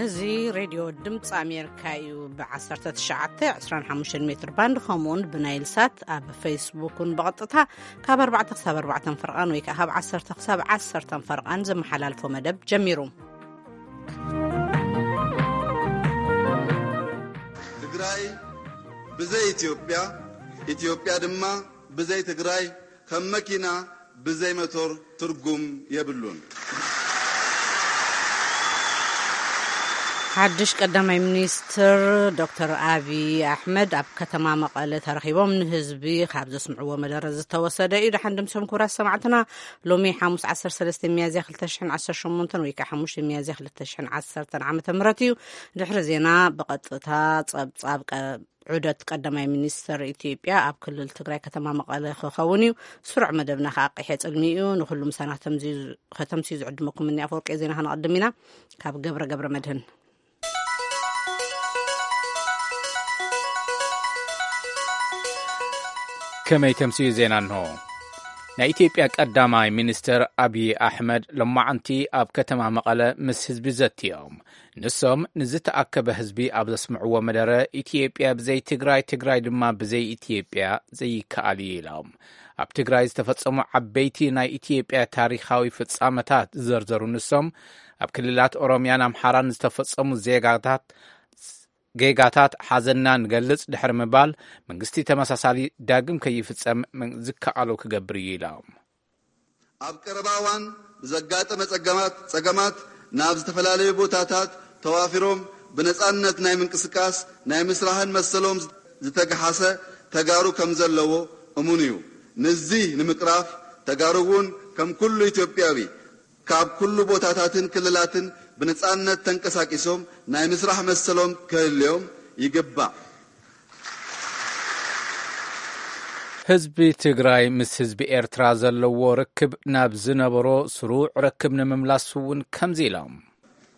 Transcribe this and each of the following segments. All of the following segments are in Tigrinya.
እዚ ሬድዮ ድምፂ ኣሜሪካ እዩ። ብ19፣ 25 ሜትር ባንድ ከምኡውን ብናይል ሳት ኣብ ፌስቡክ እውን ብቐጥታ ካብ ኣርባዕተ ክሳብ ኣርባዕተ ፈርቓን ወይ ከዓ ካብ ዓሰርተ ክሳብ ዓሰርተ ፈርቓን ዝመሓላልፎ መደብ ጀሚሩ። ትግራይ ብዘይ ኢትዮጵያ፣ ኢትዮጵያ ድማ ብዘይ ትግራይ ከም መኪና ብዘይ መቶር ትርጉም የብሉን። ሓድሽ ቀዳማይ ሚኒስትር ዶክተር ኣብይ ኣሕመድ ኣብ ከተማ መቐለ ተረኺቦም ንህዝቢ ካብ ዘስምዕዎ መደረ ዝተወሰደ እዩ። ደሓን ድምሶም ክቡራት ሰማዕትና። ሎሚ ሓሙስ 13 ሚያዝያ 2018 ወይ ከዓ 5 ሚያዝያ 2010 ዓመተ ምህረት እዩ። ድሕሪ ዜና ብቐጥታ ጸብጻብ ቀ- ዑደት ቀዳማይ ሚኒስትር ኢትዮጵያ ኣብ ክልል ትግራይ ከተማ መቐለ ክኸውን እዩ። ስሩዕ መደብና ከዓ ቀይሐ ጽልሚ እዩ። ንኩሉ ምሳና ከተምዝዩ ዝዕድመኩም እኒ ኣፈወርቂ ዜና ከነቐድም ኢና። ካብ ገብረ ገብረ መድህን። ከመይ ተምስዩ ዜና እንሆ። ናይ ኢትዮጵያ ቀዳማይ ሚኒስትር ኣብዪ ኣሕመድ ሎማዓንቲ ኣብ ከተማ መቐለ ምስ ህዝቢ ዘትዮም። ንሶም ንዝተኣከበ ህዝቢ ኣብ ዘስምዕዎ መደረ፣ ኢትዮጵያ ብዘይ ትግራይ፣ ትግራይ ድማ ብዘይ ኢትዮጵያ ዘይከኣል እዩ ኢሎም። ኣብ ትግራይ ዝተፈጸሙ ዓበይቲ ናይ ኢትዮጵያ ታሪኻዊ ፍጻመታት ዝዘርዘሩ ንሶም፣ ኣብ ክልላት ኦሮሚያን ኣምሓራን ዝተፈጸሙ ዜጋታት ጌጋታት ሓዘንና ንገልጽ ድሕሪ ምባል፣ መንግስቲ ተመሳሳሊ ዳግም ከይፍጸም ዝከኣሎ ክገብር እዩ ኢሎም። ኣብ ቀረባ እዋን ብዘጋጠመ ጸገማት ናብ ዝተፈላለዩ ቦታታት ተዋፊሮም ብነጻነት ናይ ምንቅስቃስ ናይ ምስራህን መሰሎም ዝተገሓሰ ተጋሩ ከም ዘለዎ እሙን እዩ። ንዚ ንምቅራፍ ተጋሩ እውን ከም ኩሉ ኢትዮጵያዊ ካብ ኩሉ ቦታታትን ክልላትን ብነጻነት ተንቀሳቂሶም ናይ ምስራሕ መሰሎም ክህልዮም ይግባእ። ህዝቢ ትግራይ ምስ ህዝቢ ኤርትራ ዘለዎ ርክብ ናብ ዝነበሮ ስሩዕ ርክብ ንምምላስ እውን ከምዚ ኢሎም።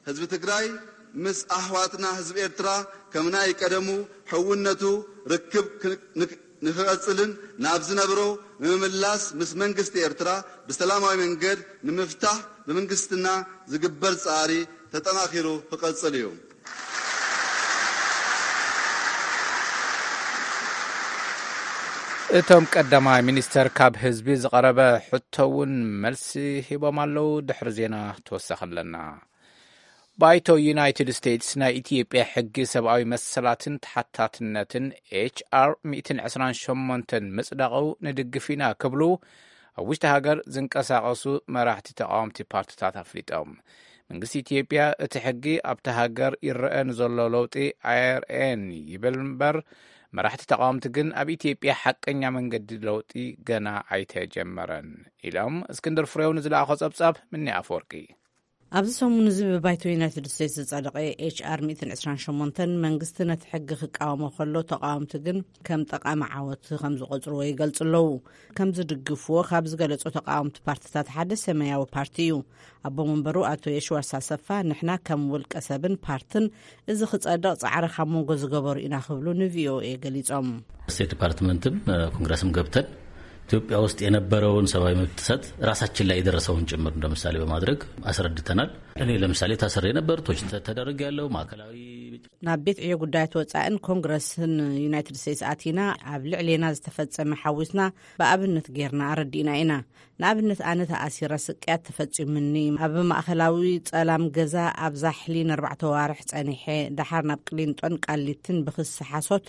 ህዝቢ ትግራይ ምስ ኣሕዋትና ህዝቢ ኤርትራ ከም ናይ ቀደሙ ሕውነቱ ርክብ ክ- ንክ- ንክቐጽልን ናብ ዝነብሮ ንምምላስ ምስ መንግስቲ ኤርትራ ብሰላማዊ መንገድ ንምፍታሕ ብመንግስትና ዝግበር ጻዕሪ ተጠናኺሩ ክቐጽል እዩ። እቶም ቀዳማይ ሚኒስተር ካብ ህዝቢ ዝቐረበ ሕቶ እውን መልሲ ሂቦም ኣለዉ። ድሕሪ ዜና ተወሳኺ ኣለና። ባይቶ ዩናይትድ ስቴትስ ናይ ኢትዮጵያ ሕጊ ሰብኣዊ መሰላትን ተሓታትነትን ኤች ኣር 128 ምጽዳቑ ንድግፍ ኢና ክብሉ ኣብ ውሽጢ ሃገር ዝንቀሳቐሱ መራሕቲ ተቓወምቲ ፓርትታት ኣፍሊጦም። መንግስቲ ኢትዮጵያ እቲ ሕጊ ኣብቲ ሃገር ይረአ ንዘሎ ለውጢ ኣየርእየን ይብል እምበር፣ መራሕቲ ተቓወምቲ ግን ኣብ ኢትዮጵያ ሓቀኛ መንገዲ ለውጢ ገና ኣይተጀመረን ኢሎም። እስክንድር ፍሬው ንዝለኣኾ ጸብጻብ ምኒ ኣፈወርቂ። ኣብዚ ሰሙን እዚ ብባይቶ ዩናይትድ ስቴትስ ዝጸደቐ ኤች ኣር 128 መንግስቲ ነቲ ሕጊ ክቃወሞ ከሎ፣ ተቓወምቲ ግን ከም ጠቓሚ ዓወት ከም ዝቖጽርዎ ይገልጹ ኣለዉ። ከም ዝድግፍዎ ካብ ዝገለጹ ተቓወምቲ ፓርትታት ሓደ ሰማያዊ ፓርቲ እዩ። ኣቦ መንበሩ ኣቶ የሽዋስ ኣሰፋ፣ ንሕና ከም ውልቀ ሰብን ፓርትን እዚ ክጸድቕ ጻዕሪ ካብ መንጎ ዝገበሩ ኢና ክብሉ ንቪኦኤ ገሊጾም። ስቴት ዲፓርትመንትም ኮንግረስም ገብተን ኢትዮጵያ ውስጥ የነበረውን ሰብአዊ መብት ጥሰት ራሳችን ላይ የደረሰውን ጭምር እንደምሳሌ በማድረግ አስረድተናል። እኔ ለምሳሌ ታስሬ ነበር፣ ቶች ተደረግ ያለው ማዕከላዊ ናብ ቤት ዕዮ ጉዳያት ወጻእን ኮንግረስን ዩናይትድ ስቴትስ ኣቲና ኣብ ልዕሌና ዝተፈጸመ ሓዊስና ብኣብነት ጌርና ኣረዲእና ኢና። ንኣብነት ኣነ ተኣሲረ ስቅያት ተፈጺሙኒ። ኣብ ማእከላዊ ጸላም ገዛ ኣብ ዛሕሊ ንኣርባዕተ ዋርሕ ጸኒሐ፣ ደሓር ናብ ቅሊንጦን ቃሊትን ብክሲ ሓሶት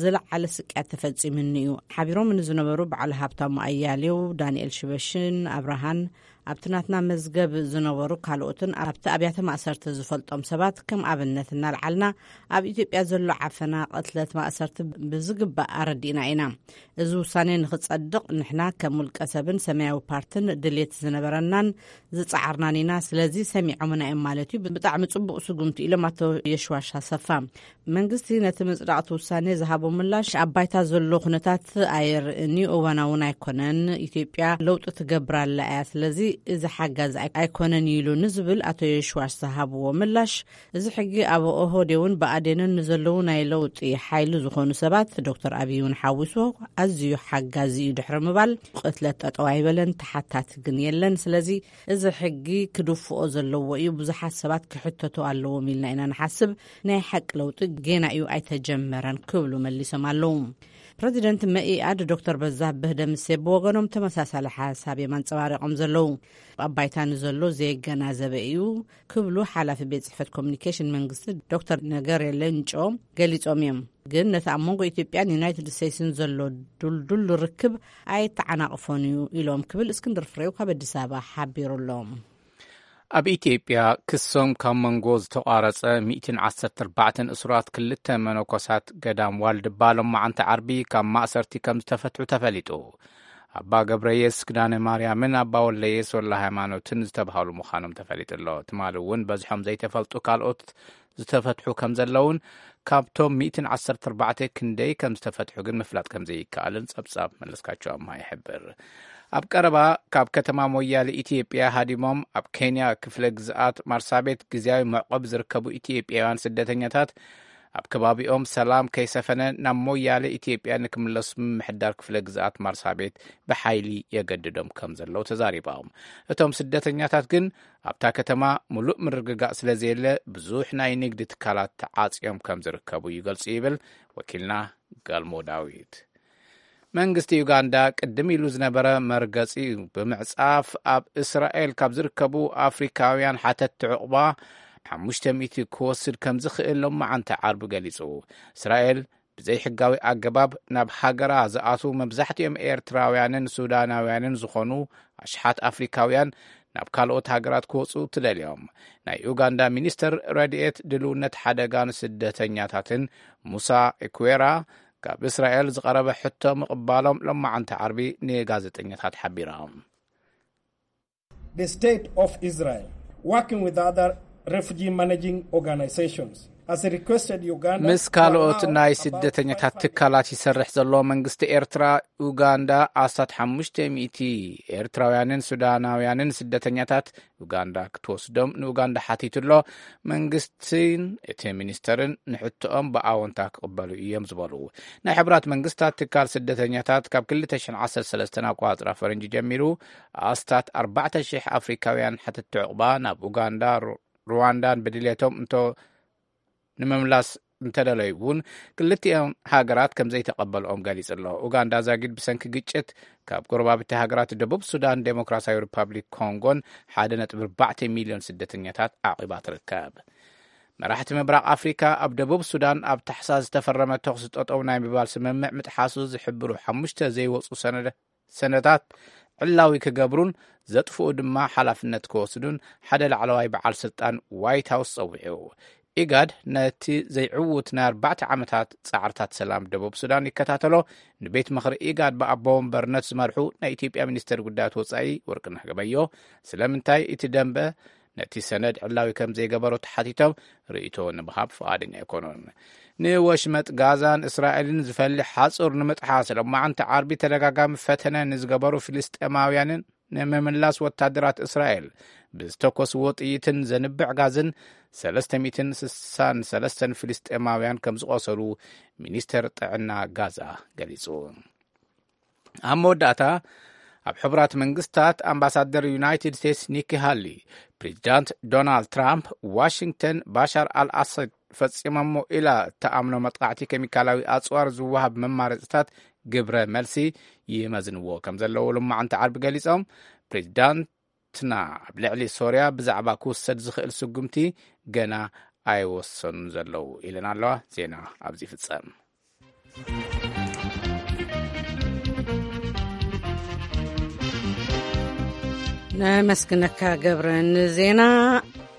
ዝለዓለ ስቅያት ተፈጺሙኒ እዩ። ሓቢሮም ንዝነበሩ በዓል ሃብታሙ ኣያሌው፣ ዳንኤል ሽበሽን ኣብርሃን ኣብቲ ናትና መዝገብ ዝነበሩ ካልኦትን ኣብቲ ኣብያተ ማእሰርቲ ዝፈልጦም ሰባት ከም ኣብነት እናልዓልና ኣብ ኢትዮጵያ ዘሎ ዓፈና፣ ቅትለት፣ ማእሰርቲ ብዝግባእ ኣረዲእና ኢና። እዚ ውሳኔ ንኽጸድቕ ንሕና ከም ውልቀ ሰብን ሰማያዊ ፓርትን ድሌት ዝነበረናን ዝጸዓርናን ኢና። ስለዚ ሰሚዖምና እዮም ማለት እዩ። ብጣዕሚ ጽቡቕ ስጉምቲ ኢሎም ኣቶ የሽዋሽ ኣሰፋ። መንግስቲ ነቲ ምጽዳቕቲ ውሳኔ ዝሃቦ ምላሽ ኣብ ባይታ ዘሎ ኩነታት ኣየርእን እዩ፣ እዋናውን ኣይኮነን። ኢትዮጵያ ለውጢ ትገብር ኣላ እያ። ስለዚ እዚ ሓጋዚ ኣይ- ኣይኮነን ኢሉ ንዝብል ኣቶ የሽዋሽ ዝሃብዎ ምላሽ፣ እዚ ሕጊ ኣብ ኦህዴድን ብኣዴንን ንዘለዉ ናይ ለውጢ ሓይሊ ዝኾኑ ሰባት፣ ዶክተር ኣብይ እውን ሓዊሱ፣ ኣዝዩ ሓጋዚ እዩ ድሕሪ ምባል፣ ቅትለት ጠጠው ኣይበለን፣ ተሓታቲ ግን የለን። ስለዚ እዚ ሕጊ ክድፍኦ ዘለዎ እዩ፣ ብዙሓት ሰባት ክሕተቱ ኣለዎም ኢልና ኢና ንሓስብ። ናይ ሓቂ ለውጢ ጌና እዩ ኣይተጀመረን ክብሉ መሊሶም ኣለዉ። ፕረዚደንት መኢኣድ ዶክተር በዛብህ ደምሴ ብወገኖም ተመሳሳሊ ሓሳብ እዮም ኣንጸባሪቖም ዘለዉ። ኣብ ባይታ ንዘሎ ዘየገናዘበ እዩ ክብሉ ሓላፊ ቤት ጽሕፈት ኮሚኒኬሽን መንግስቲ ዶክተር ነገሬ ሌንጮ ገሊጾም እዮም። ግን ነቲ ኣብ መንጎ ኢትዮጵያን ዩናይትድ ስቴትስን ዘሎ ዱልዱል ርክብ ኣይተዓናቕፎን እዩ ኢሎም ክብል እስክንድር ፍሬው ካብ ኣዲስ ኣበባ ሓቢሩ ኣሎ። ኣብ ኢትዮጵያ ክሶም ካብ መንጎ ዝተቋረጸ ሚእትን ዓሰርተ ኣርባዕተን እሱራት ክልተ መነኮሳት ገዳም ዋልድባ ሎማዓንቲ ዓርቢ ካብ ማእሰርቲ ከም ዝተፈትሑ ተፈሊጡ። ኣባ ገብረየስ ኪዳነ ማርያምን ኣባ ወልደየስ ወልደ ሃይማኖትን ዝተባህሉ ምዃኖም ተፈሊጡ ኣሎ። ትማሊ እውን በዝሖም ዘይተፈልጡ ካልኦት ዝተፈትሑ ከም ዘለውን ካብቶም ሚእትን ዓሰርተ ኣርባዕተ ክንደይ ከም ዝተፈትሑ ግን ምፍላጥ ከም ዘይከኣልን ጸብጻብ መለስካቸው ኣምሃ ይሕብር። ኣብ ቀረባ ካብ ከተማ ሞያሌ ኢትዮጵያ ሃዲሞም ኣብ ኬንያ ክፍለ ግዝኣት ማርሳቤት ግዝያዊ መዕቆቢ ዝርከቡ ኢትዮጵያውያን ስደተኛታት ኣብ ከባቢኦም ሰላም ከይሰፈነ ናብ ሞያሌ ኢትዮጵያ ንክምለሱ ምምሕዳር ክፍለ ግዝኣት ማርሳቤት ብሓይሊ የገድዶም ከም ዘለዉ ተዛሪቦም። እቶም ስደተኛታት ግን ኣብታ ከተማ ምሉእ ምርግጋእ ስለ ዘየለ ብዙሕ ናይ ንግዲ ትካላት ተዓጽዮም ከም ዝርከቡ ይገልጹ ይብል ወኪልና ገልሞ ዳዊት። መንግስቲ ዩጋንዳ ቅድም ኢሉ ዝነበረ መርገጺ ብምዕጻፍ ኣብ እስራኤል ካብ ዝርከቡ ኣፍሪካውያን ሓተትቲ ዕቑባ ሓሙሽተ ሚእቲ ክወስድ ከም ዝኽእል ሎማዓንቲ ዓርቢ ገሊጹ። እስራኤል ብዘይሕጋዊ ኣገባብ ናብ ሃገራ ዝኣትዉ መብዛሕትኦም ኤርትራውያንን ሱዳናውያንን ዝኾኑ ኣሽሓት ኣፍሪካውያን ናብ ካልኦት ሃገራት ክወጹ ትደልዮም። ናይ ኡጋንዳ ሚኒስተር ረድኤት ድልውነት ሓደጋን ስደተኛታትን ሙሳ ኢኩዌራ ካብ እስራኤል ዝቐረበ ሕቶ ምቕባሎም ሎማዓንቲ ዓርቢ ንጋዜጠኛታት ሓቢሮም። The state of Israel, working with other refugee managing organizations, has requested Uganda ምስ ካልኦት ናይ ስደተኛታት ትካላት ይሰርሕ ዘሎ መንግስቲ ኤርትራ፣ ኡጋንዳ ኣስታት ሓሙሽተ ሚእቲ ኤርትራውያንን ሱዳናውያንን ስደተኛታት ኡጋንዳ ክትወስዶም ንኡጋንዳ ሓቲቱ ኣሎ። መንግስትን እቲ ሚኒስተርን ንሕቶኦም ብኣወንታ ክቕበሉ እዮም ዝበሉ ናይ ሕቡራት መንግስታት ትካል ስደተኛታት፣ ካብ ክልተ ሽሕን ዓሰርተ ሰለስተን ኣቋጽራ ፈረንጂ ጀሚሩ ኣስታት ኣርባዕተ ሽሕ ኣፍሪካውያን ሓተትቲ ዕቑባ ናብ ኡጋንዳ፣ ሩ- ሩዋንዳን ብድሌቶም እንቶ ንምምላስ እንተደለዩ እውን ክልቲኦም ሃገራት ከም ዘይተቐበልኦም ገሊጹ ኣሎ። ኡጋንዳ ዛጊድ ብሰንኪ ግጭት ካብ ጎረባብቲ ሃገራት ደቡብ ሱዳን፣ ዴሞክራሲያዊ ሪፓብሊክ ኮንጎን ሓደ ነጥቢ ኣርባዕተ ሚልዮን ስደተኛታት ዓቒባ ትርከብ። መራሕቲ ምብራቕ ኣፍሪካ ኣብ ደቡብ ሱዳን ኣብ ታሕሳስ ዝተፈረመ ተኹሲ ጠጠው ናይ ምባል ስምምዕ ምጥሓሱ ዝሕብሩ ሓሙሽተ ዘይወፁ ሰነደ ሰነታት ዕላዊ ክገብሩን ዘጥፍኡ ድማ ሓላፍነት ክወስዱን ሓደ ላዕለዋይ በዓል ስልጣን ዋይት ሃውስ ጸዊዑ። ኢጋድ ነቲ ዘይዕዉት ናይ ኣርባዕተ ዓመታት ጻዕርታት ሰላም ደቡብ ሱዳን ይከታተሎ። ንቤት ምኽሪ ኢጋድ ብኣቦ ወንበርነት ዝመርሑ ናይ ኢትዮጵያ ሚኒስተር ጉዳያት ወጻኢ ወርቅነህ ገበዮ ስለምንታይ እቲ ደንበ ነቲ ሰነድ ዕላዊ ከም ዘይገበሮ ተሓቲቶም ርእይቶ ንምሃብ ፍቓደኛ ኣይኮኑን። ንወሽመጥ ጋዛን እስራኤልን ዝፈልሕ ሓጹር ንምጥሓስ ሎማዓንቲ ዓርቢ ተደጋጋሚ ፈተነ ንዝገበሩ ፍልስጤማውያንን ንምምላስ ወታደራት እስራኤል ብዝተኮስዎ ጥይትን ዘንብዕ ጋዝን ሰለስተ ሚእትን ስሳን ሰለስተን ፍልስጤማውያን ከም ዝቆሰሉ ሚኒስተር ጥዕና ጋዛ ገሊጹ። ኣብ መወዳእታ ኣብ ሕቡራት መንግስታት ኣምባሳደር ዩናይትድ ስቴትስ ኒኪ ሃሊ ፕሬዚዳንት ዶናልድ ትራምፕ ዋሽንግተን ባሻር ኣልኣሳድ ፈጺሞሞ ኢላ እተኣምኖ መጥቃዕቲ ኬሚካላዊ ኣጽዋር ዝወሃብ መማረፅታት ግብረ መልሲ ይመዝንዎ ከም ዘለዉ ሎማዓንቲ ዓርቢ ገሊጾም። ፕሬዚዳንትና ኣብ ልዕሊ ሶርያ ብዛዕባ ክውሰድ ዝኽእል ስጉምቲ ገና ኣይወሰኑን ዘለዉ ኢለን ኣለዋ። ዜና ኣብዚ ይፍጸም። ነመስግነካ ገብረ ንዜና።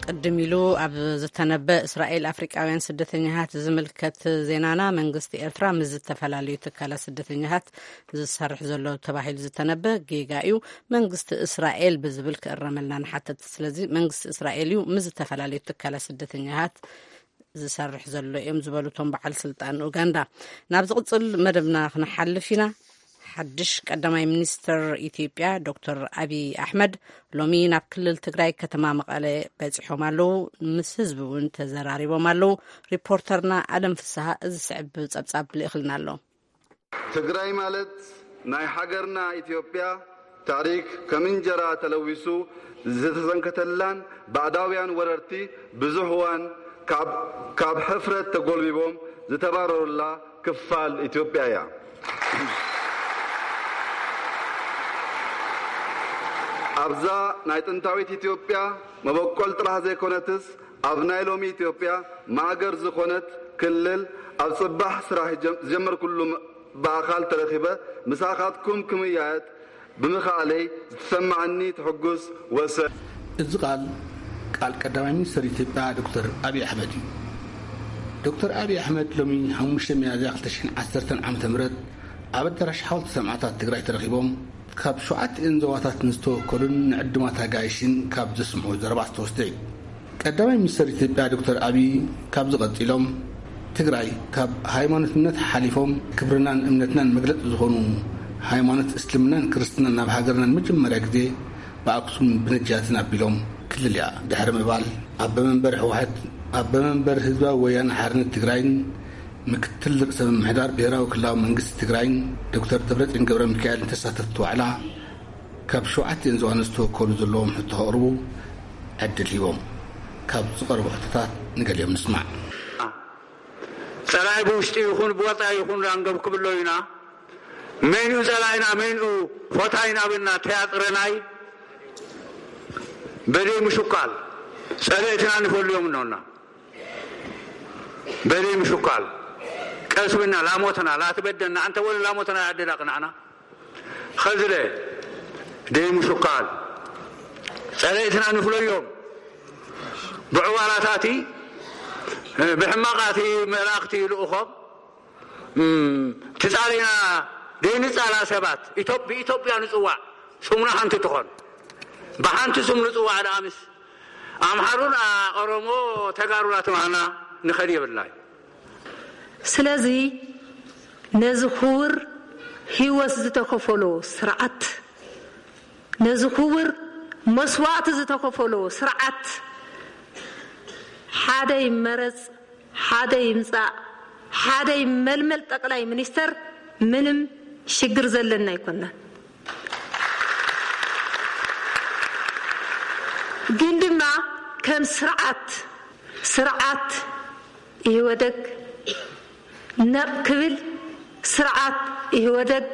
ቅድም ኢሉ ኣብ ዝተነበ እስራኤል ኣፍሪቃውያን ስደተኛታት ዝምልከት ዜናና፣ መንግስቲ ኤርትራ ምስ ዝተፈላለዩ ትካላት ስደተኛታት ዝሰርሕ ዘሎ ተባሂሉ ዝተነበ ጌጋ እዩ። መንግስቲ እስራኤል ብዝብል ክእረመልና ንሓተት። ስለዚ መንግስቲ እስራኤል እዩ ምስ ዝተፈላለዩ ትካላት ስደተኛታት ዝሰርሕ ዘሎ እዮም ዝበሉ እቶም በዓል ስልጣን ኡጋንዳ። ናብ ዝቕጽል መደብና ክንሓልፍ ኢና። ሓድሽ ቀዳማይ ሚኒስትር ኢትዮጵያ ዶክተር ኣብይ ኣሕመድ ሎሚ ናብ ክልል ትግራይ ከተማ መቐለ በፂሖም ኣለዉ። ምስ ህዝቢ እውን ተዘራሪቦም ኣለዉ። ሪፖርተርና ኣለም ፍስሃ እዚ ስዕብ ጸብጻብ ልእኽልና ኣሎ። ትግራይ ማለት ናይ ሃገርና ኢትዮጵያ ታሪክ ከም እንጀራ ተለዊሱ ዝተሰንከተላን ባዕዳውያን ወረርቲ ብዙሕ እዋን ካብ፣ ካብ ሕፍረት ተጎልቢቦም ዝተባረሩላ ክፋል ኢትዮጵያ እያ። ኣብዛ ናይ ጥንታዊት ኢትዮጵያ መበቆል ጥራሕ ዘይኮነትስ ኣብ ናይ ሎሚ ኢትዮጵያ ማእገር ዝኾነት ክልል ኣብ ጽባሕ ስራሕ ጀም-፣ ዝጀመርኩሉ ም-፣ ብኣኻል ተረኺበ ምሳኻትኩም ክምያየጥ ብምኽኣለይ ዝተሰማዓኒ ትሕጉስ ወሰን። እዚ ቃል፣ ቃል ቀዳማይ ሚኒስትር ኢትዮጵያ ዶክተር ኣብይ ኣሕመድ እዩ። ዶክተር ኣብይ ኣሕመድ ሎሚ ሓሙሽተ ሚያዝያ ክልተ ሽሕን ዓሰርተን ዓመተ ምህረት ኣብ ኣዳራሽ ሓወልቲ ሰማዕታት ትግራይ ተረኺቦም ካብ ሸውዓቲኤን ዞባታት ንዝተወከሉን ንዕዱማት ኣጋይሽን ካብ ዘስምዑ ዘረባ ዝተወስደ እዩ። ቀዳማይ ሚኒስትር ኢትዮጵያ ዶክተር ኣብይ ካብዚ ቀጺሎም፣ ትግራይ ካብ ሃይማኖትነት ሓሊፎም ክብርናን እምነትናን መግለጺ ዝኾኑ ሃይማኖት እስልምናን ክርስትናን ናብ ሃገርና ንመጀመርያ ግዜ ብኣክሱም ብነጃትን ኣቢሎም ክልል እያ ድሕሪ ምባል፣ ኣቦ መንበር ህወሓት፣ ኣቦ መንበር ህዝባዊ ወያነ ሓርነት ትግራይን ምክትል ርእሰ ምምሕዳር ብሄራዊ ክልላዊ መንግስቲ ትግራይን ዶክተር ደብረጽዮን ገብረ ሚካኤልን ተሳተፍቲ ዋዕላ ካብ ሸውዓቲኤን ዞባን ዝተወከሉ ዘለዎም ሕቶ ከቕርቡ ዕድል ሂቦም። ካብ ዝቐረቡ ሕቶታት ንገሊኦም ንስማዕ። ጸላኢ ብውሽጢ ይኹን ብወጻኢ ይኹን ዳንገብ ክብሎ ኢና። መን እዩ ጸላኢና፣ መን እዩ ፈታይና ብልና ተያጥረናይ በደይ ምሽኳል ጸለእትና ንፈልዮም እኖና። በደይ ምሽኳል ቀስ ብና ላሞትና ላትበደና፣ ኣንተ ወለ ላሞትና ያደላቅናዕና። ኸዝለ ደይ ምሽኳል ጸለእትና ንፍለዮም። ብዕዋላታቲ፣ ብሕማቃቲ መላእኽቲ ልኡኾም፣ እም፣ ትጻሊና ደይ ንጻላ ሰባት፣ ኢትዮ-፣ ብኢትዮጵያ ንጽዋዕ፣ ስሙና ሓንቲ ትኾን። ብሓንቲ ስም ንጽዋዕ ደኣ ምስ ኣምሓሩን ኣ-፣ ኦሮሞ ተጋሩላ ተባህና ንኸድ የብልናይ። ስለዚ ነዚ ክቡር ህይወት ዝተከፈሎ ስርዓት፣ ነዚ ክቡር መስዋእቲ ዝተከፈሎ ስርዓት ሓደ ይመረጽ፣ ሓደ ይምጻእ፣ ሓደ ይመልመል ጠቅላይ ሚኒስተር ምንም ሽግር ዘለና ኣይኮናን። ግን ድማ ከም ስርዓት፣ ስርዓት ኢህወደግ ነቕ ክብል፣ ስርዓት ኢህወደግ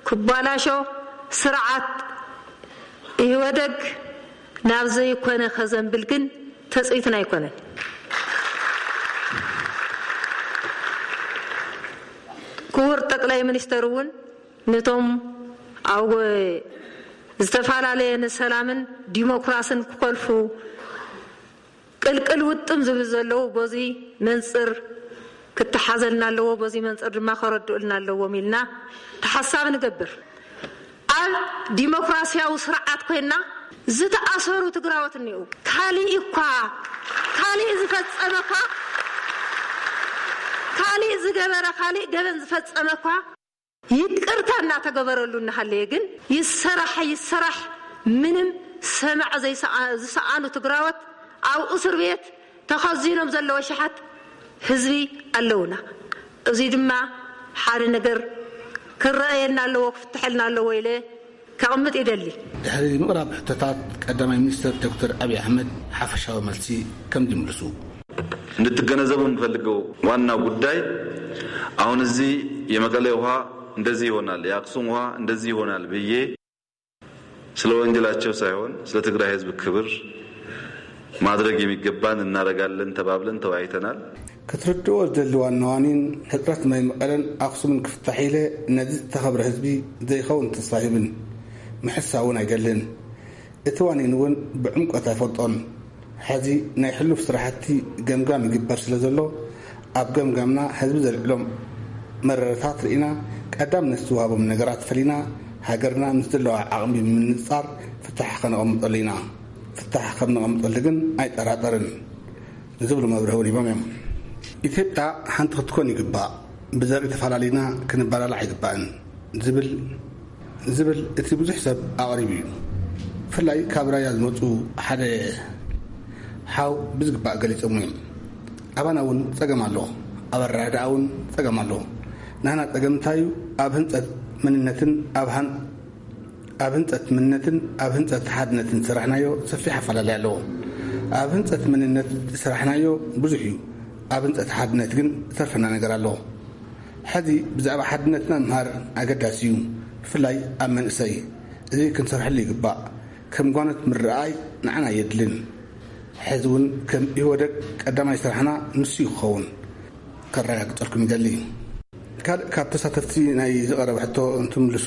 ክባላሾ፣ ስርዓት ኢህወደግ ናብ ዘይኮነ ከዘንብል ግን ተጽቢትና ኣይኮነን። ክቡር ጠቅላይ ሚኒስተር እውን ነቶም ኣብ ዝተፈላለየ ንሰላምን ዲሞክራስን ክኸልፉ ቅልቅል ውጥም ዝብል ዘለዉ በዚ መንጽር ክተሓዘልና ኣለዎ፣ በዚ መንጽር ድማ ከረድኡልና ኣለዎም ኢልና ተሓሳብ ንገብር። ኣብ ዲሞክራሲያዊ ስርዓት ኮይና ዝተኣሰሩ ትግራዎት እኒኡ። ካሊእ እኳ፣ ካሊእ ዝፈጸመ እኳ፣ ካሊእ ዝገበረ፣ ካሊእ ገበን ዝፈጸመ እኳ ይቅርታ እናተገበረሉ እናሃለየ ግን ይሰራሕ ይሰራሕ ምንም ሰማዕ ዘይሰኣ-፣ ዝሰኣኑ ትግራዎት ኣብ እስር ቤት ተኸዚኖም ዘለዉ ኣሽሓት ህዝቢ ኣለዉና። እዚ ድማ ሓደ ነገር ክረኣየና ኣለዎ፣ ክፍትሐልና ኣለዎ ኢለ ከቕምጥ ይደሊ። ድሕሪ ምቕራብ ሕቶታት ቀዳማይ ሚኒስትር ዶክተር ኣብይ ኣሕመድ ሓፈሻዊ መልሲ ከም ዝምልሱ። እንድትገነዘቡ የምፈልገው ዋናው ጉዳይ አሁን እዚህ የመቀሌ ውሃ እንደዚህ ይሆናል፣ የአክሱም ውሃ እንደዚህ ይሆናል ብዬ ስለ ወንጀላቸው ሳይሆን ስለ ትግራይ ህዝብ ክብር ማድረግ የሚገባን እናደርጋለን ተባብለን ተወያይተናል። ክትርድኦ ዝደሊ ዋና ዋኒን ሕፅረት ማይ መቐለን ኣኽሱምን ክፍታሕ ኢለ ነዚ ዝተኸብረ ህዝቢ ዘይኸውን ተስፋ ሂብን ምሕሳ እውን ኣይደልን። እቲ ዋኒን እውን ብዕምቆት ኣይፈልጦን። ሕዚ ናይ ሕሉፍ ስራሕቲ ገምጋም ይግበር ስለ ዘሎ ኣብ ገምጋምና ህዝቢ ዘልዕሎም መረረታት ርኢና ቀዳምነት ዝወሃቦም ነገራት ፈሊና ሃገርና ምስ ዘለዋ ዓቕሚ ብምንፃር ፍታሕ ከነቐምጠሉ ኢና። ፍታሕ ከም ነቐምጠሉ ግን ኣይጠራጠርን። ዝብሉ መብርሂ እውን ሂቦም እዮም። ኢትዮጵያ ሓንቲ ክትኮን ይግባእ። ብዘርኢ ተፈላለዩና ክንበላላዕ ኣይግባእን። ዝብል ዝብል እቲ ብዙሕ ሰብ ኣቕሪቡ እዩ። ብፍላይ ካብ ራያ ዝመፁ ሓደ ሓው ብዝግባእ ገሊፆም እዮም። ኣባና እውን ፀገም ኣሎ፣ ኣብ ኣረዳድኣ እውን ፀገም ኣሎ። ናህና ፀገም እንታይ እዩ? ኣብ ህንፀት መንነትን ኣብ ሃን ኣብ ህንፀት መንነትን ኣብ ህንፀት ሓድነትን ዝሰራሕናዮ ሰፊሕ ኣፈላለይ ኣለዎ። ኣብ ህንፀት መንነት ዝሰራሕናዮ ብዙሕ እዩ። ኣብ ህንፀት ሓድነት ግን ዝተርፈና ነገር ኣሎ። ሕዚ ብዛዕባ ሓድነትና ምምሃር ኣገዳሲ እዩ፣ ብፍላይ ኣብ መንእሰይ። እዚ ክንሰርሐሉ ይግባእ። ከም ጓኖት ምርኣይ ንዓና የድልን። ሕዚ እውን ከም ኢህወደግ ቀዳማይ ስራሕና ንሱ እዩ ክኸውን፣ ከረጋግጸልኩም ይደሊ። ካልእ ካብ ተሳተፍቲ ናይ ዝቐረበ ሕቶ እንትምልሱ፣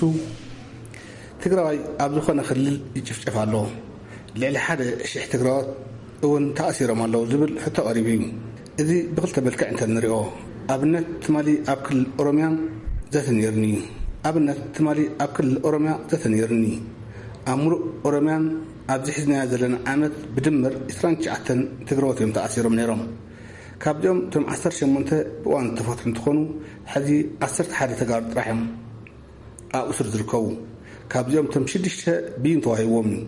ትግራዋይ ኣብ ዝኾነ ክልል ይጭፍጨፍ ኣሎ። ልዕሊ ሓደ ሽሕ ትግራዎት እውን ተኣሲሮም ኣለዉ ዝብል ሕቶ ቀሪቡ እዩ። እዚ ብክልተ መልክዕ እንተ ንሪኦ፣ ኣብነት ትማሊ ኣብ ክልል ኦሮሚያ ዘተ ነይሩኒ እዩ። ኣብነት ትማሊ ኣብ ክልል ኦሮሚያ ዘተ ነይሩኒ። ኣብ ሙሉእ ኦሮሚያን ኣብዚ ሒዝናዮ ዘለና ዓመት ብድምር ዕስራን ትሽዓተን ትግራዎት እዮም ተኣሲሮም ነይሮም። ካብዚኦም እቶም ዓሰርተ ሸሞንተ ብእዋኑ ዝተፈትሑ እንትኾኑ፣ ሕዚ ዓሰርተ ሓደ ተጋሩ ጥራሕ እዮም ኣብ እሱር ዝርከቡ። ካብዚኦም እቶም ሽዱሽተ ብይን ተዋሂብዎም እዩ።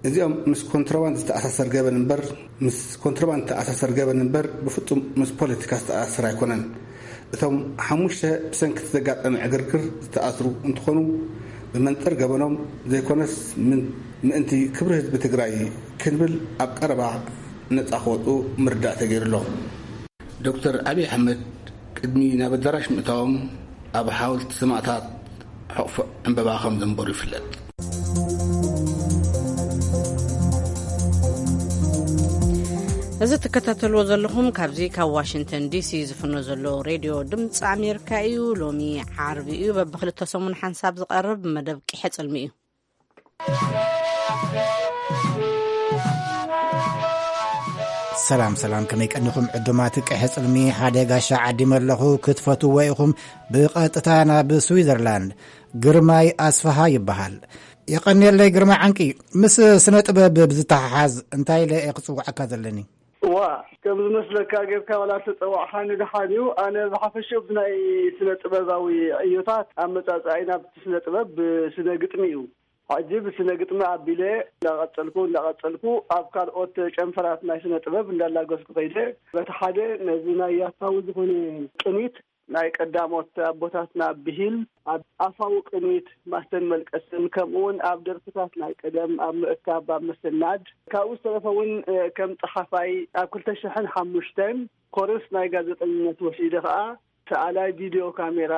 እዚኦም ምስ ኮንትሮባንድ ዝተኣሳሰር ገበን እምበር፣ ምስ ኮንትሮባንድ ዝተኣሳሰር ገበን እምበር፣ ብፍጹም ምስ ፖለቲካ ዝተኣሳሰር ኣይኮነን። እቶም ሓሙሽተ ብሰንኪ እቲ ዘጋጠመ ዕግርግር ዝተኣስሩ እንትኾኑ፣ ብመንጽር ገበኖም ዘይኮነስ ምን-፣ ምእንቲ ክብሪ ህዝቢ ትግራይ ክንብል ኣብ ቀረባ ነጻ ክወጹ ምርዳእ ተገይሩ ኣሎ። ዶክተር ኣብይ ኣሕመድ ቅድሚ ናብ ኣዳራሽ ምእታዎም ኣብ ሓወልቲ ሰማእታት ሕቑፎ ዕምበባ ከም ዘንበሩ ይፍለጥ። እዚ ትከታተልዎ ዘለኹም ካብዚ ካብ ዋሽንግተን ዲሲ ዝፍኖ ዘሎ ሬድዮ ድምፂ ኣሜሪካ እዩ። ሎሚ ዓርቢ እዩ። በብክልተ ሰሙን ሓንሳብ ዝቐርብ መደብ ቂሐ ጽልሚ እዩ። ሰላም ሰላም፣ ከመይ ቀኒኹም ዕዱማት ቀሐ ጽልሚ? ሓደ ጋሻ ዓዲመ ኣለኹ፣ ክትፈትዎ ኢኹም። ብቐጥታ ናብ ስዊዘርላንድ። ግርማይ ኣስፍሃ ይበሃል። የቐንየለይ ግርማይ ዓንቂ። ምስ ስነ ጥበብ ብዝተሓሓዝ እንታይ ኢለ እየ ክጽውዓካ ዘለኒ? እዋ፣ ከም ዝመስለካ ጌርካ ዋላ ተጸዋዕኻኒ ደሓን እዩ። ኣነ ብሓፈሽኡ ብናይ ስነ ጥበባዊ ዕዮታት ኣመጻጽኣይ ናብቲ ስነ ጥበብ ብስነ ግጥሚ እዩ። ሕጂ ብስነ ግጥሚ ኣቢለ እንዳቐጸልኩ እንዳቐጸልኩ ኣብ ካልኦት ጨንፈራት ናይ ስነ ጥበብ እንዳላገስኩ ከይደ፣ በቲ ሓደ ነዚ ናይ ያታዊ ዝኾነ ቅኒት ናይ ቀዳሞት ኣቦታትና ብሂል ኣብ ኣፋዊ ቅኒት ማስተን መልቀስን ከምኡውን ኣብ ደርፍታት ናይ ቀደም ኣብ ምእካብ ኣብ ምስናድ ካብኡ ዝተረፈ እውን ከም ጸሓፋይ ኣብ ክልተ ሽሕን ሓሙሽተን ኮርስ ናይ ጋዜጠኝነት ወሲደ ከኣ ሰኣላይ ቪድዮ ካሜራ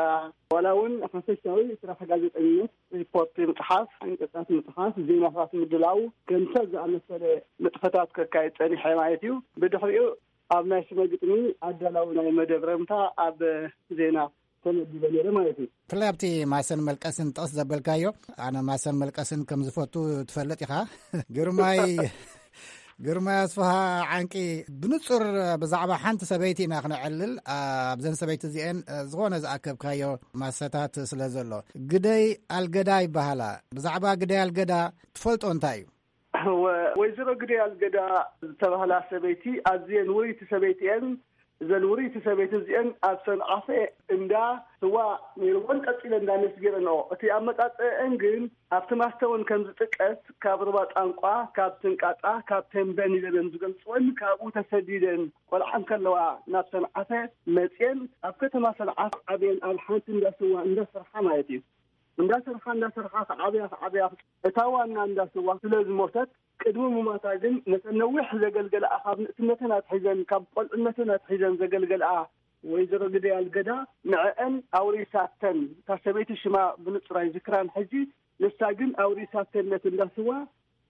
ዋላ እውን ሓፈሻዊ ስራሕ ጋዜጠኝነት ሪፖርት ምፅሓፍ፣ ዕንቅፃት ምፅሓፍ፣ ዜናታት ምድላው ከምሰ ዝኣመሰለ ንጥፈታት ከካይድ ፀኒሐ ማለት እዩ። ብድሕሪኡ ኣብ ናይ ስነ ግጥሚ ኣዳላዊ ናይ መደብ ረምታ ኣብ ዜና ተመዲበ ነይረ ማለት እዩ። ብፍላይ ኣብቲ ማሰን መልቀስን ጥቕስ ዘበልካዮ፣ ኣነ ማሰን መልቀስን ከም ዝፈቱ ትፈልጥ ኢኻ። ግርማይ ግርማይ ኣስፍሃ ዓንቂ፣ ብንጹር ብዛዕባ ሓንቲ ሰበይቲ ኢና ክነዕልል። ኣብዘን ሰበይቲ እዚአን ዝኾነ ዝኣከብካዮ ማሰታት ስለ ዘሎ፣ ግደይ ኣልገዳ ይበሃላ። ብዛዕባ ግደይ ኣልገዳ ትፈልጦ እንታይ እዩ? ወ-፣ ወይዘሮ ግደይ ኣልገዳ ዝተባህላ ሰበይቲ ኣዝየን ውርይቲ ሰበይቲ እየን። እዘን ውርይቲ ሰበይቲ እዚአን ኣብ ሰንዓፈ እንዳ ስዋ ነይርወን፣ ቀጺለን እንዳ ሜስ ገይረንኦ። እቲ ኣመጻጽአአን ግን ኣብቲ ማስተ እውን ከም ዝጥቀስ፣ ካብ ሩባ ጣንቋ፣ ካብ ስንቃጣ፣ ካብ ተምበን ኢለን እዮም ዝገልጽወን። ካብኡ ተሰዲደን ቆልዓ እንከለዋ ናብ ሰንዓፈ መጽየን፣ ኣብ ከተማ ሰንዓፈ ዓብየን፣ ኣብ ሓንቲ እንዳ ስዋ እንዳሰርሓ ማለት እዩ። እንዳሰርሓ እንዳሰርሓ ክዓብያ ክዓብያ፣ እታ ዋና እንዳ ስዋ ስለ ዝሞተት፣ ቅድሚ ምማታ ግን ነተን ነዊሕ ዘገልገለኣ፣ ካብ ንእስነተን ኣትሒዘን፣ ካብ ቆልዕነተን ኣትሒዘን ዘገልገለኣ ወይዘሮ ግደይ ኣልገዳ ንዐአን ኣውሪሳተን። እታ ሰበይቲ ሽማ ብንጹር ኣይዝክራን ሕጂ፣ ንሳ ግን ኣውሪሳተን ነቲ እንዳ ስዋ።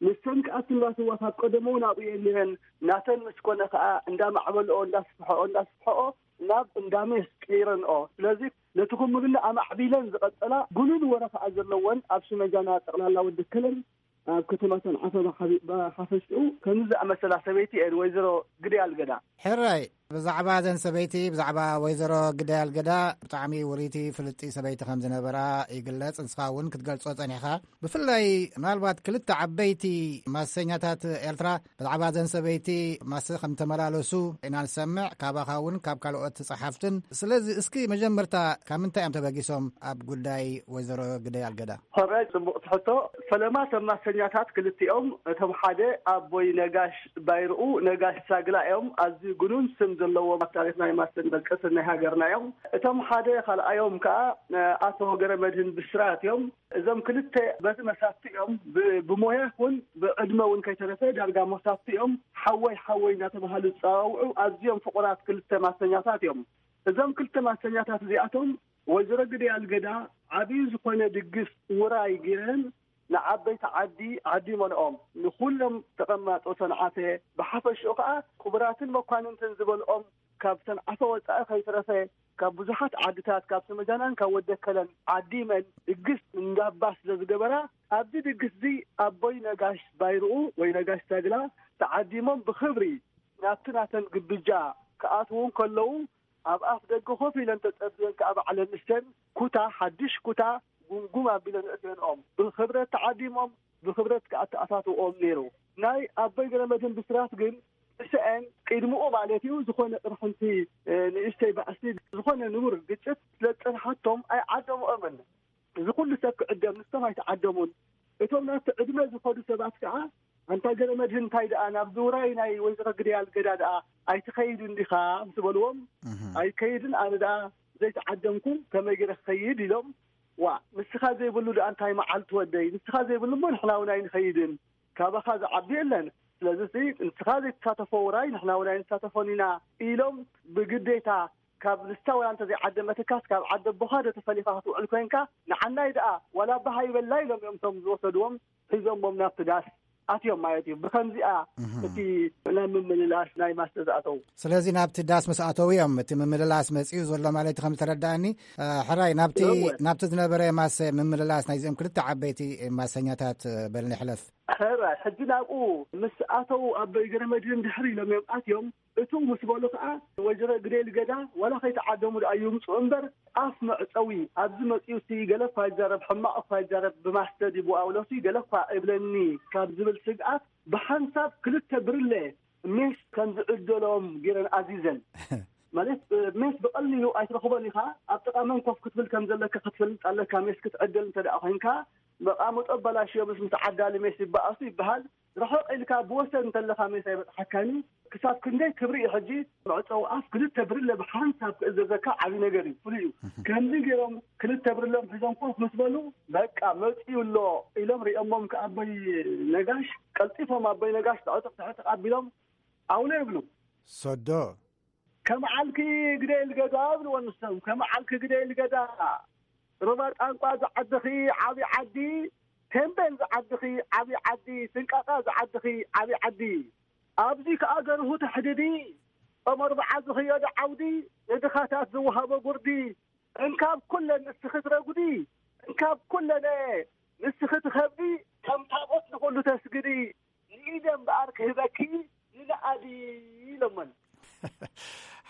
ንሰን ከኣ እቲ እንዳ ስዋ ካብ ቀደሙ እውን ኣብኡ እየን ነይረን። ናተን ምስ ኮነ ከኣ እንዳማዕበልኦ፣ እንዳስፍሐኦ፣ እንዳስፍሐኦ ናብ እንዳ ሜስ ቀይረንኦ። ስለዚ ነቲ ኩምርና ኣማዕቢለን ዝቐጸላ ጉኑን ወረ ከኣ ዘለወን ኣብ ሽመጃና ጠቕላላ ወዲ ከለን ኣብ ከተማ ሰንዓፈ ብሓፈ-፣ ብሓፈሽኡ ከምዚ ዝኣመሰላ ሰበይቲ እየን ወይዘሮ ግደይ ኣልገዳ። ሕራይ፣ ብዛዕባ እዘን ሰበይቲ፣ ብዛዕባ ወይዘሮ ግዳይ ኣልገዳ፣ ብጣዕሚ ውሪቲ ፍልጥቲ ሰበይቲ ከም ዝነበራ ይግለጽ። ንስኻ እውን ክትገልጾ ጸኒሕኻ። ብፍላይ ምናልባት ክልተ ዓበይቲ ማሰኛታት ኤርትራ ብዛዕባ እዘን ሰበይቲ ማሰ ከም ተመላለሱ ኢና ንሰምዕ፣ ካባኻ እውን ካብ ካልኦት ጸሓፍትን። ስለዚ እስኪ መጀመርታ ካብ ምንታይ እዮም ተበጊሶም ኣብ ጉዳይ ወይዘሮ ግዳይ ኣልገዳ? ሕራይ ጽቡቕ ትሕቶ። ፈለማ እቶም ማሰኛታት ክልቲኦም፣ እቶም ሓደ ኣቦይ ነጋሽ ባይርኡ፣ ነጋሽ ሳግላ እዮም። ኣዝዩ ግኑን ስም ዘለዎም ኣብ ታሪኽ ናይ ማሰን መልቀስን ናይ ሃገርና እዮም። እቶም ሓደ ካልኣዮም ከኣ ኣቶ ገረመድህን ብስራት እዮም። እዞም ክልተ በቲ መሳፍቲ እዮም። ብ-፣ ብሞያ እውን ብዕድመ እውን ከይተረፈ ዳርጋ መሳፍቲ እዮም። ሓወይ ሓወይ እናተባሃሉ ዝጸዋውዑ ኣዝዮም ፍቑራት ክልተ ማሰኛታት እዮም። እዞም ክልተ ማሰኛታት እዚኣቶም ወይዘሮ ግዳይ ኣልገዳ ዓብዪ ዝኾነ ድግስ ውራይ ጌረን ንዓበይቲ ዓዲ ዓዲመንኦም፣ ንኹሎም ተቐማጦ ሰንዓፈ፣ ብሓፈሽኡ ኸዓ ክቡራትን መኳንንትን ዝበልኦም ካብ ሰንዓፈ ወጻኢ ከይተረፈ ካብ ብዙሓት ዓድታት፣ ካብ ሰመጃናን ካብ ወደከለን ዓዲመን ድግስ እንዳባ ስለ ዝገበራ፣ ኣብዚ ድግስ እዚ ኣቦይ ነጋሽ ባይርኡ ወይ ነጋሽ ሳግላ ተዓዲሞም ብኽብሪ ናብቲ ናተን ግብጃ ክኣትዉ እንከለዉ፣ ኣብ ኣፍ ደገ ኮፍ ኢለን ተጸብየን ከኣ ባዕለን ንስተን ኩታ፣ ሓድሽ ኩታ ጉምጉም ኣቢለን እተንኦም ብኽብረት ተዓዲሞም፣ ብኽብረት ከኣ ተኣታትውኦም ነይሩ። ናይ ኣቦይ ገረመድህን ብስራት ግን ንሰአን ቅድምኡ ማለት እዩ ዝኾነ ቅርሕንቲ፣ እ፣ ንእሽተይ ባእሲ፣ ዝኾነ ንቡር ግጭት ስለ ዝጸንሓቶም ኣይዓደምኦምን። እዚ ኩሉ ሰብ ክዕደም ንሶም ኣይተዓደሙን። እቶም ናብቲ ዕድመ ዝኸዱ ሰባት ከኣ፣ "ኣንታ ገረመድህን፣ እንታይ ደኣ ናብዚ ውራይ ናይ ወይዘሮ ግዳይ ኣልገዳ ደኣ ኣይትኸይድን ዲኻ?" ምስ በልዎም፣ እህ። "ኣይከይድን፣ ኣነ ደኣ ዘይተዓደምኩ ከመይ ገይረ ክኸይድ?" ኢሎም። "ዋ፣ ንስኻ ዘይብሉ ደኣ እንታይ መዓልቲ ወደይ? ንስኻ ዘይብሉ እሞ ንሕና እውን ኣይንኸይድን። ካባኻ ዝዓቢ የለን። ስለዚ ንስኻ ዘይትሳተፎ ውራይ ንሕና እውን ኣይንሳተፎን ኢና" ኢሎም ብግዴታ ካብ ንሳ ወላ እንተ ዘይዓደመትካስ ካብ ዓዲ ኣቦኻ ዶ ተፈሊኻ ክትውዕል ኮንካ? ንዓናይ ደኣ ዋላ ኣባኻ ይበላ ኢሎም እዮም እቶም ዝወሰድዎም ሒዞሞም ናብቲ ዳስ ኣትዮም ማለት እዩ። ብኸምዚኣ እህ። እቲ ናብ ምምልላስ ናይ ማስተ ዝኣተዉ። ስለዚ ናብቲ ዳስ ምስ ኣተዉ እዮም እቲ ምምልላስ መጺኡ ዘሎ ማለት እዩ ከም ዝተረዳእኒ። እ፣ ሕራይ ናብቲ፣ እወ። ናብቲ ዝነበረ ማሰ ምምልላስ ናይዚኦም ክልተ ዓበይቲ ማሰኛታት፣ እ፣ በል ንሕለፍ። ሕራይ ሕጂ ናብኡ ምስ ኣተዉ ኣቦይ ገረመድህን ድሕሪ ኢሎም እዮም ኣትዮም። እቱ ምስ በሉ ከኣ ወይዘሮ ግደይ ልገዳ ዋላ ከይተዓደሙ ደኣ ይምጽኡ እምበር ኣፍ መዕጸዊ ኣብዚ መጺኡ ሲ ገለ እኳ ይዛረብ፣ ሕማቕ እኳ ይዛረብ፣ ብማስተር ይብዋውሎ ሲ ገለ እኳ እብለኒ ካብ ዝብል ስግኣት ብሓንሳብ ክልተ ብርለ ሜስ ከም ዝዕደሎም ገይረን ኣዚዘን። ማለት ሜስ ብቐሊሉ ኣይትረኽቦን ኢኻ፣ ኣብ ጥቓ መን ኮፍ ክትብል ከም ዘለካ ክትፈልጥ ኣለካ። ሜስ ክትዕድል እንተ ደኣ ኮይንካ መቓምጦ ኣበላሽዮ ምስ ምስ ዓዳሊ ሜስ ይበኣሱ ይበሃል። ርሕቕ ኢልካ ብወሰን እንተለኻ ሜስ ኣይበጽሓካን እዩ። ክሳብ ክንደይ ክብሪ እዩ ሕጂ መዕጸዊ ኣፍ ክልተ ብርለ ብሓንሳብ ክእዘዘካ ዓቢ ነገር እዩ፣ ፍሉይ እዩ። ከምዚ ገይሮም ክልተ ብርሎም ሒዞም ኮፍ ምስ በሉ በቃ መጺኡ ኣሎ ኢሎም ሪኦሞም ከኣቦይ ነጋሽ ቀልጢፎም ኣቦይ ነጋሽ ትዕጥቕ ትዕጥቕ ኣቢሎም ኣውሎ ይብሉ። ሶዶ። ከም ዓልኪ ግደ ልገዳ ብልዎ ንሶም፣ ከም ዓልኪ ግደ ልገዳ። ሩባ ጣንቋ ዝዓድኺ ዓቢ ዓዲ፣ ቴምቤን ዝዓድኺ ዓቢ ዓዲ፣ ስንቃጣ ዝዓድኺ ዓቢ ዓዲ። ኣብዚ ከኣ ገርሁ ተሕድዲ፣ ጾመ ኣርብዓ ዝኽየዶ ዓውዲ፣ ንድኻታት ዝወሃቦ ጉርዲ፣ እንካብ ኩለን ንስኺ ትረጉዲ፣ እንካብ ኩለነ ንስኺ ትኸብዲ፣ ከም ታቦት ንኹሉ ተስግዲ፣ ንኢደ እምበኣር ክህበኪ ንነኣዲ ኢሎመን።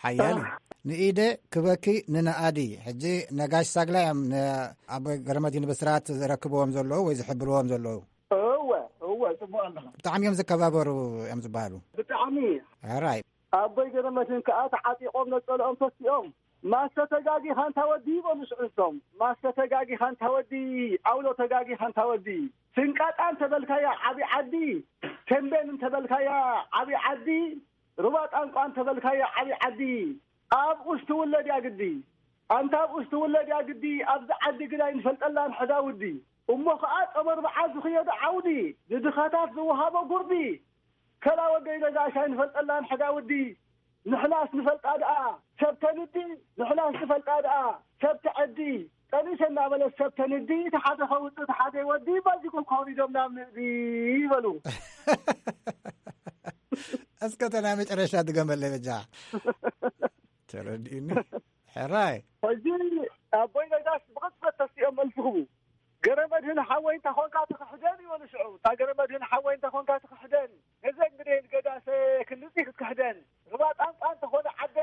ሓያል እዩ። ንኢደ ክበኪ ንነኣዲ። ሕጂ ነጋሽ ሳግላ እዮም ንኣቦይ ገረመድህን ብስራት ዘረክብዎም ዘለዉ ወይ ዝሕብርዎም ዘለዉ። እወ፣ እወ፣ ጽቡቕ ኣለኻ። ብጣዕሚ እዮም ዝከባበሩ እዮም ዝበሃሉ። ብጣዕሚ። ሕራይ። ኣቦይ ገረመድህን ከኣ ተዓጢቖም ነጸልኦም ተሲኦም፣ "ማሰ ተጋጊኻ እንታ ወዲ" ይበሉ ሽዑ ንሶም። "ማሰ ተጋጊኻ እንታ ወዲ፣ ኣውሎ ተጋጊኻ እንታ ወዲ። ስንቃጣ እንተበልካያ ዓቢ ዓዲ፣ ቴምቤን እንተበልካያ ዓቢ ዓዲ፣ ሩባ ጣንቋ እንተበልካያ ዓቢ ዓዲ፣ ኣብኡስ ትውለድ እያ ግዲ። ኣንታ ኣብኡስ ትውለድ እያ ግዲ፣ ኣብዚ ዓዲ ግን ኣይንፈልጠላን ሕዳ ውዲ። እሞ ኸኣ ጾመ ኣርብዓ ዝኽየዶ ዓውዲ፣ ንድኻታት ዝወሃቦ ጉርዲ፣ ከላ ወደይ ነጋሽ ኣይንፈልጠላን ሕዳ ውዲ። ንሕናስ ንፈልጣ ደኣ ሰብ ተንዲ፣ ንሕናስ ንፈልጣ ደኣ ሰብ ተዐዲ። ጠኒሰ እናበለት ሰብ ተንዲ፣ እቲ ሓደ ከውጽእ እቲ ሓደ ይወዲ፣ ባዚ ኮኮብ ኢዶም ናብ ንእዲ" ይበሉ። እስከ ተና መጨረሻ ድገመለይ በጃ። ተረዲእኒ። ሕራይ። ሕጂ ኣቦይ ነጋሽ ብቕጽበት ተሲኦም መልሲ ክቡ። "ገረመድህን ሓወይ እንተ ኾንካ ትኽሕደን" ይበሉ ሽዑ። "እታ ገረመድህን ሓወይ እንተ ኾንካ ትኽሕደን፣ ነዘን ግደይ ልገዳሰ ክንድዚ ክትክሕደን፣ ሩባ ጣንጣ እንተኾነ ዓዲ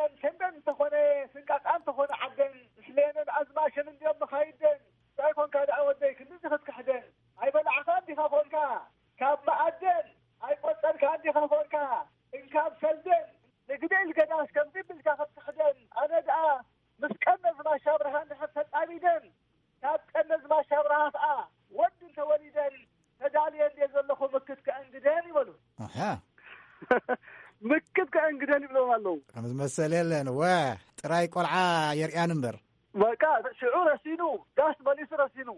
ኣብ ቀነዝማች ኣብርሃ ከኣ ወዲ እንተወሊደን ተዳልየ እንድየ ዘለኹ ምክት ከእንግደን ይበሉ። ኣሃ። ምክት ከእንግደን ይብሎም ኣለዉ። ከም ዝመሰል የለን። ወ፣ ጥራይ ቆልዓ የርእያን እምበር። በቃ፣ ሽዑ ረሲኑ፣ ጋስ መሊሱ ረሲኑ።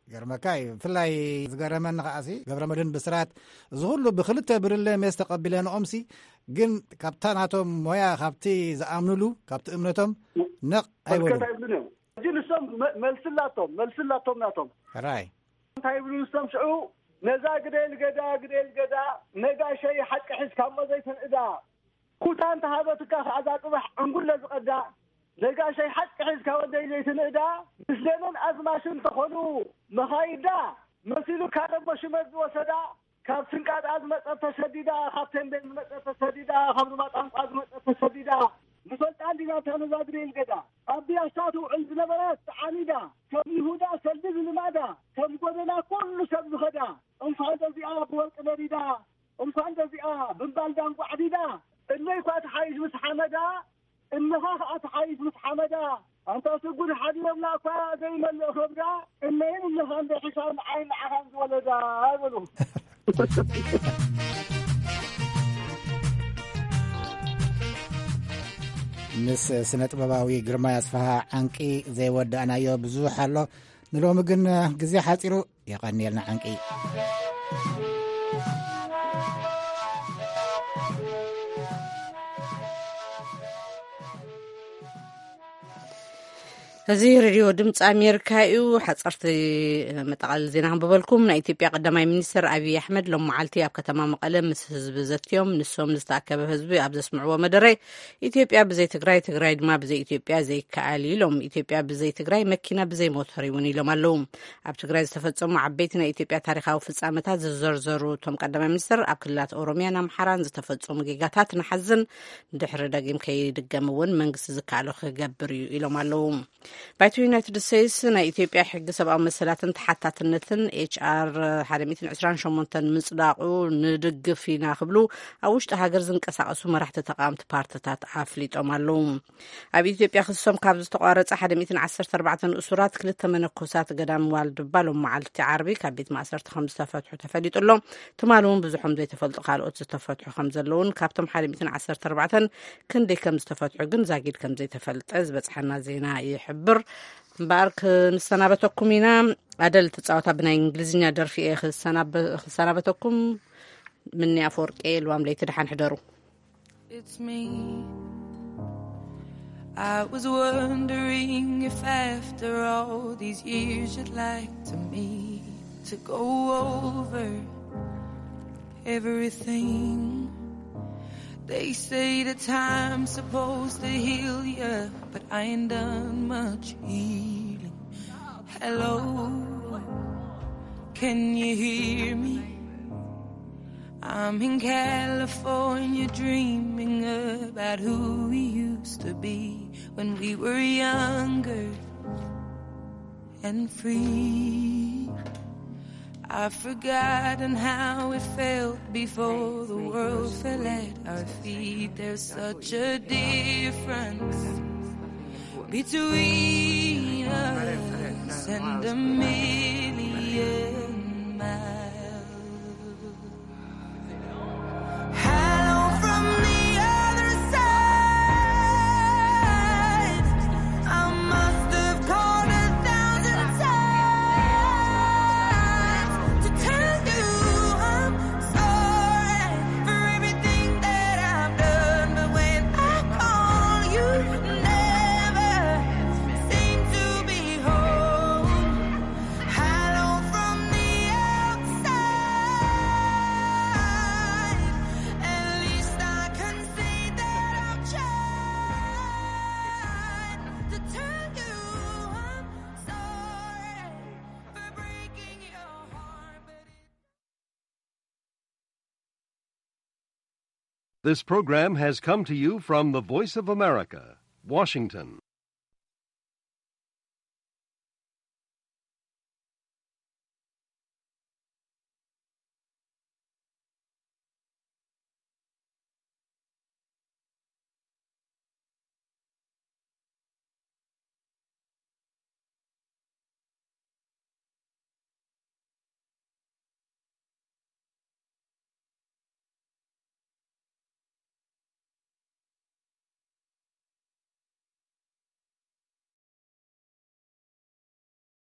ገርመካ እዩ። ብፍላይ ዝገረመኒ ከኣሲ፣ ገብረመድህን ብስራት፣ እዚ ኩሉ ብክልተ ብርለ ሜስ ተቐቢለንኦምሲ፣ ግን ካብታ ናቶም ሞያ፣ ካብቲ ዝኣምኑሉ፣ ካብቲ እምነቶም ነቕ ኣይበሉን። በርከት ኣይብሉን እዮም። ሕጂ ንሶም መ-፣ መልስላቶም፣ መልስላቶም ናቶም። ሕራይ። እንታይ ይብሉ ንሶም ሽዑ? ነዛ ግደል ገዳ፣ ግደል ገዳ፣ ነጋሸይ ሓቂ ሒዝካ እሞ ዘይትንእዳ። ኩታ እንተሃበትካ ከኣ እዛ ጽባሕ ዕንጉለ ዝቐዳ። ነጋሸይ ሓቂ ሒዝካ ወደይ ዘይትንእዳ። ምስ ደንን ኣዝማችን እንተኾኑ መኻይዳ፣ መሲሉካ ደሞ ሽመት ዝወሰዳ። ካብ ስንቃጣ ዝመጸት ተሰዲዳ፣ ካብ ተንቤን ዝመጸት ተሰዲዳ፣ ካብ ሩባ ጣንቋ ዝመጸት ተሰዲዳ። ንፈልጣ እንዲና እታ ነዛ ግደል ገዳ። ኣብ ቢያሳ ትውዕል ዝነበረት ተዓኒዳ፣ ከም ይሁዳ ሰልዲ ዝልማዳ፣ ከም ጎደና ኩሉ ሰብ ዝኸዳ። እንኳን ደዚኣ ብወርቂ ነዲዳ፣ እንኳን ደዚኣ ብምባል ዳንጓዕ ዲዳ። እለይ እኳ ትሓይሽ ምስ ሓመዳ፣ እነኻ ኸኣ ትሓይሽ ምስ ሓመዳ። ኣንታ ስጉድ ሓዲሮምና እኳ ዘይመልእ ከብዳ፣ እነይን እነኻን ዶ ሒሻን ዓይን ንዓኻን ዝወለዳ ይበሉ። ምስ ስነ ጥበባዊ ግርማይ ኣስፍሃ ዓንቂ ዘይወዳእናዮ ብዙሕ ኣሎ። ንሎሚ ግን ግዜ ሓጺሩ። የቐንየልና ዓንቂ። እዚ ሬድዮ ድምፂ ኣሜሪካ እዩ። ሓፀርቲ መጠቓለሊ ዜና ክንብበልኩም። ናይ ኢትዮጵያ ቀዳማይ ሚኒስትር ኣብይ ኣሕመድ ሎም መዓልቲ ኣብ ከተማ መቐለ ምስ ህዝቢ ዘትዮም። ንሶም ንዝተኣከበ ህዝቢ ኣብ ዘስምዕዎ መደረ፣ ኢትዮጵያ ብዘይ ትግራይ፣ ትግራይ ድማ ብዘይ ኢትዮጵያ ዘይከኣል እዩ ኢሎም። ኢትዮጵያ ብዘይ ትግራይ መኪና ብዘይ ሞተር እውን ኢሎም ኣለዉ። ኣብ ትግራይ ዝተፈጸሙ ዓበይቲ ናይ ኢትዮጵያ ታሪኻዊ ፍጻመታት ዝዘርዘሩ እቶም ቀዳማይ ሚኒስትር፣ ኣብ ክልላት ኦሮሚያን ኣምሓራን ዝተፈጸሙ ጌጋታት ንሓዝን፣ ድሕሪ ደጊም ከይድገም እውን መንግስቲ ዝከኣሎ ክገብር እዩ ኢሎም ኣለዉ። ባይቶ ዩናይትድ ስቴትስ ናይ ኢትዮጵያ ሕጊ ሰብኣዊ መሰላትን ተሓታትነትን ኤች ኣር ሓደ ሚእትን ዕስራን ሸሞንተን ምጽዳቑ ንድግፍ ኢና ክብሉ ኣብ ውሽጢ ሃገር ዝንቀሳቐሱ መራሕቲ ተቓወምቲ ፓርትታት ኣፍሊጦም ኣለዉ። ኣብ ኢትዮጵያ ክሶም ካብ ዝተቋረጸ ሓደ ሚእትን ዓሰርተ ኣርባዕተን እሱራት ክልተ መነኮሳት ገዳም ዋልድባ ሎም መዓልቲ ዓርቢ ካብ ቤት ማእሰርቲ ከም ዝተፈትሑ ተፈሊጡ ኣሎ። ትማሊ እውን ብዙሖም ዘይተፈልጡ ካልኦት ዝተፈትሑ ከም ዘለውን ካብቶም ሓደ ሚእትን ዓሰርተ ኣርባዕተን ክንደይ ከም ዝተፈትሑ ግን ዛጊድ ከም ዘይተፈልጠ ዝበጽሐና ዜና ይሕብር። እምበኣር ክንሰናበተኩም ኢና። ኣደል ትጻወታ ብናይ እንግሊዝኛ ደርፊ እየ ክሰናበ-፣ ክሰናበተኩም። ምኒ ኣፈወርቂ ልዋም ለይቲ ደሓን ሕደሩ። It's me. I was wondering if after all these years you'd like to meet to go over everything. They say the time's supposed to heal you, but I ain't done much healing. Hello, can you hear me? I'm in California dreaming about who we used to be when we were younger and free. I've forgotten how it felt before the world fell at our feet. There's such a difference between us and a million miles. Hello from the other side. I must have called a thousand times to tell you I'm sorry for everything that I've done. But when I call, you never seem to be home. Hello from the outside. At least I can say that I've tried to tell you I'm sorry for breaking your heart, but it This program has come to you from the Voice of America, Washington.